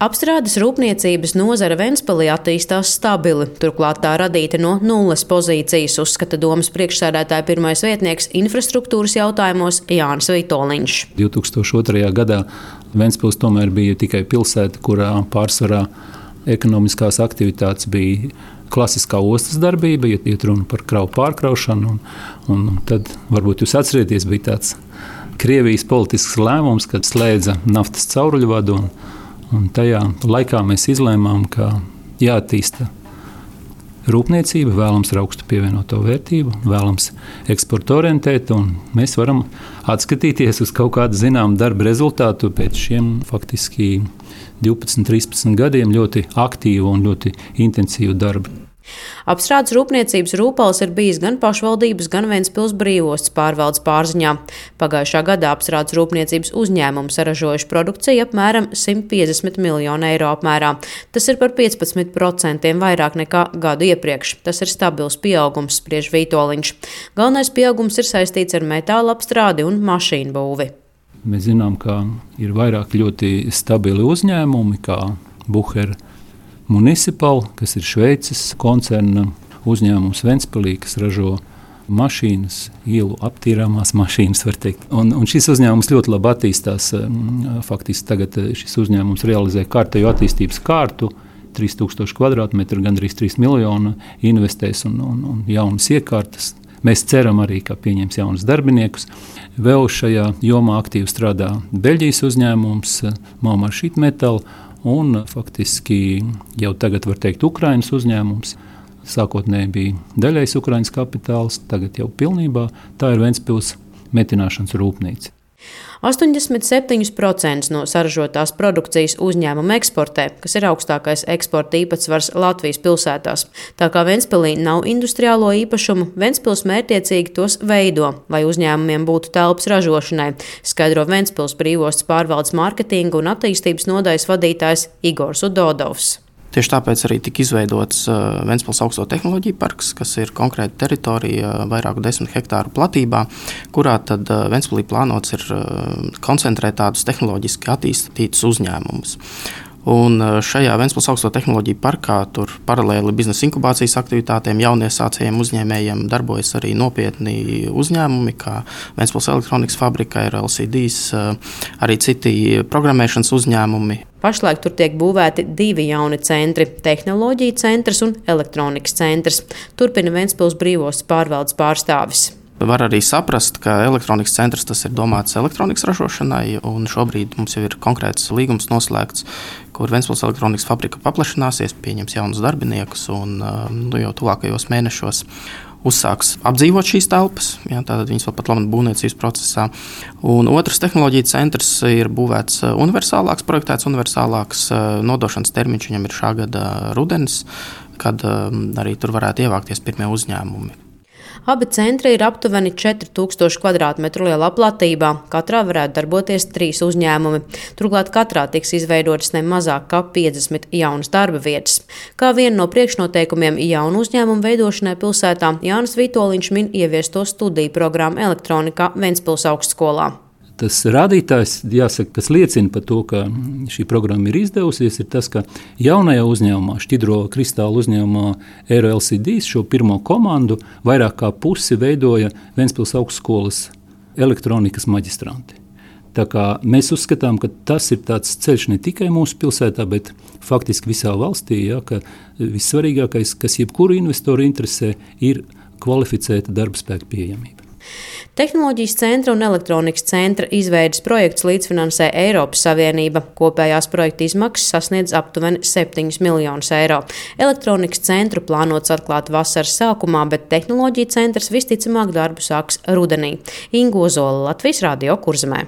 Apstrādes rūpniecības nozare Ventspilī attīstās stabili, turklāt tā radīta no nulles pozīcijas, uzskata domes priekšsēdētāja pirmais vietnieks infrastruktūras jautājumos Jānis Vitoliņš. 2002. gadā Ventspils tomēr bija tikai pilsēta, kurā pārsvarā ekonomiskās aktivitātes bija klasiskā ostas darbība, iet runa par kravu pārkraušanu, un tad varbūt jūs atcerieties, bija tāds Krievijas politisks lēmums, kad slēdza naftas cauruļvadu. Un tajā laikā mēs izlēmām, ka jāattīsta rūpniecība, vēlams ar augstu pievienoto vērtību, vēlams eksporta orientēt, un mēs varam atskatīties uz kaut kādu zināmu darba rezultātu pēc šiem faktiski 12, 13 gadiem ļoti aktīvu un ļoti intensīvu darbu. Apstrādes rūpniecības rūpals ir bijis gan pašvaldības, gan Ventspils brīvostas pārvaldes pārziņā. Pagājušā gadā apstrādes rūpniecības uzņēmumi saražojuši produkciju apmēram 150 miljonu eiro apmērā. Tas ir par 15% vairāk nekā gadu iepriekš. Tas ir stabils pieaugums, spriež Vitoliņš. Galvenais pieaugums ir saistīts ar metāla apstrādi un mašīnu būvi. Mēs zinām, ka ir vairāk ļoti stabili uzņēmumi, kā Bucher Municipal, kas ir Šveices koncerna uzņēmums Ventspilī, kas ražo mašīnas, ielu aptīrāmās mašīnas, var teikt. Un šis uzņēmums ļoti labi attīstās. Faktiski tagad šis uzņēmums realizē kārtējo attīstības kārtu, 3000 kvadrātmetru, gandrīz 3 miljonu investēs un jaunas iekārtas. Mēs ceram arī, ka pieņems jaunus darbiniekus. Vēl šajā jomā aktīvi strādā Beļģijas uzņēmums Maumar Sheet Metal, un faktiski jau tagad var teikt Ukrainas uzņēmums. Sākotnēji bija daļais Ukrainas kapitāls, tagad jau pilnībā tā ir Ventspils metināšanas rūpnīca. 87% no saražotās produkcijas uzņēmuma eksportē, kas ir augstākais eksporta īpatsvars Latvijas pilsētās. Tā kā Ventspilī nav industriālo īpašumu, Ventspils mērķiecīgi tos veido, lai uzņēmumiem būtu telpas ražošanai, skaidro Ventspils brīvostas pārvaldes mārketinga un attīstības nodaļas vadītājs Igors Udodovs. Tieši tāpēc arī tika izveidots Ventspils augsto tehnoloģiju parks, kas ir konkrēta teritorija vairāku 10 hektāru platībā, kurā tad Ventspilī plānots ir koncentrēt tādus tehnoloģiski attīstītus uzņēmumus. Un šajā Ventspils augsto tehnoloģiju parkā tur paralēli biznesa inkubācijas aktivitātēm jauniesācējiem uzņēmējiem darbojas arī nopietni uzņēmumi, kā Ventspils elektronikas fabrika, LCDs, arī citi programmēšanas uzņēmumi. Pašlaik tur tiek būvēti 2 jauni centri – tehnoloģija centrs un elektronikas centrs. Turpina Ventspils brīvostas pārvaldes pārstāvis. Var arī saprast, ka elektronikas centrs tas ir domāts elektronikas ražošanai, un šobrīd mums jau ir konkrēts līgums noslēgts, kur Ventspils elektronikas fabrika paplašināsies, pieņems jaunus darbiniekus un jau tuvākajos mēnešos uzsāks apdzīvot šīs telpas. Tātad viņas vēl pat labi būvniecības procesā. Un otrs tehnoloģija centrs ir būvēts universālāks, projektēts universālāks. Nodošanas termiņš viņam ir šā gada rudenis, kad arī tur varētu ievākties pirmie uzņēmumi. Abi centri ir aptuveni 4000 kvadrātmetru lielā platībā. Katrā varētu darboties 3 uzņēmumi. Turklāt katrā tiks izveidotas ne mazāk kā 50 jaunas darba vietas. Kā vienu no priekšnoteikumiem jaunu uzņēmumu veidošanai pilsētā, Jānis Vitoliņš min ieviesto studiju programmu elektronikā Ventspils augstskolā. Tas rādītājs, jāsaka, kas liecina par to, ka šī programma ir izdevusies, ir tas, ka jaunajā uzņēmumā, šķidro kristālu uzņēmumā Eiro LCDs, šo pirmo komandu vairāk kā pusi veidoja Ventspils augstskolas elektronikas maģistranti. Tā kā mēs uzskatām, ka tas ir tāds ceļš ne tikai mūsu pilsētā, bet faktiski visā valstī, ka vissvarīgākais, kas jebkuru investoru interesē, ir kvalificēta darba spēka pieejamība. Tehnoloģijas centra un elektronikas centra izveides projekts līdzfinansē Eiropas Savienība. Kopējās projekta izmaksas sasniedz aptuveni 7 miljonus eiro. Elektronikas centru plānots atklāt vasaras sākumā, bet tehnoloģija centrs visticamāk darbu sāks rudenī. Inga Ozola, Latvijas Radio Kurzemē.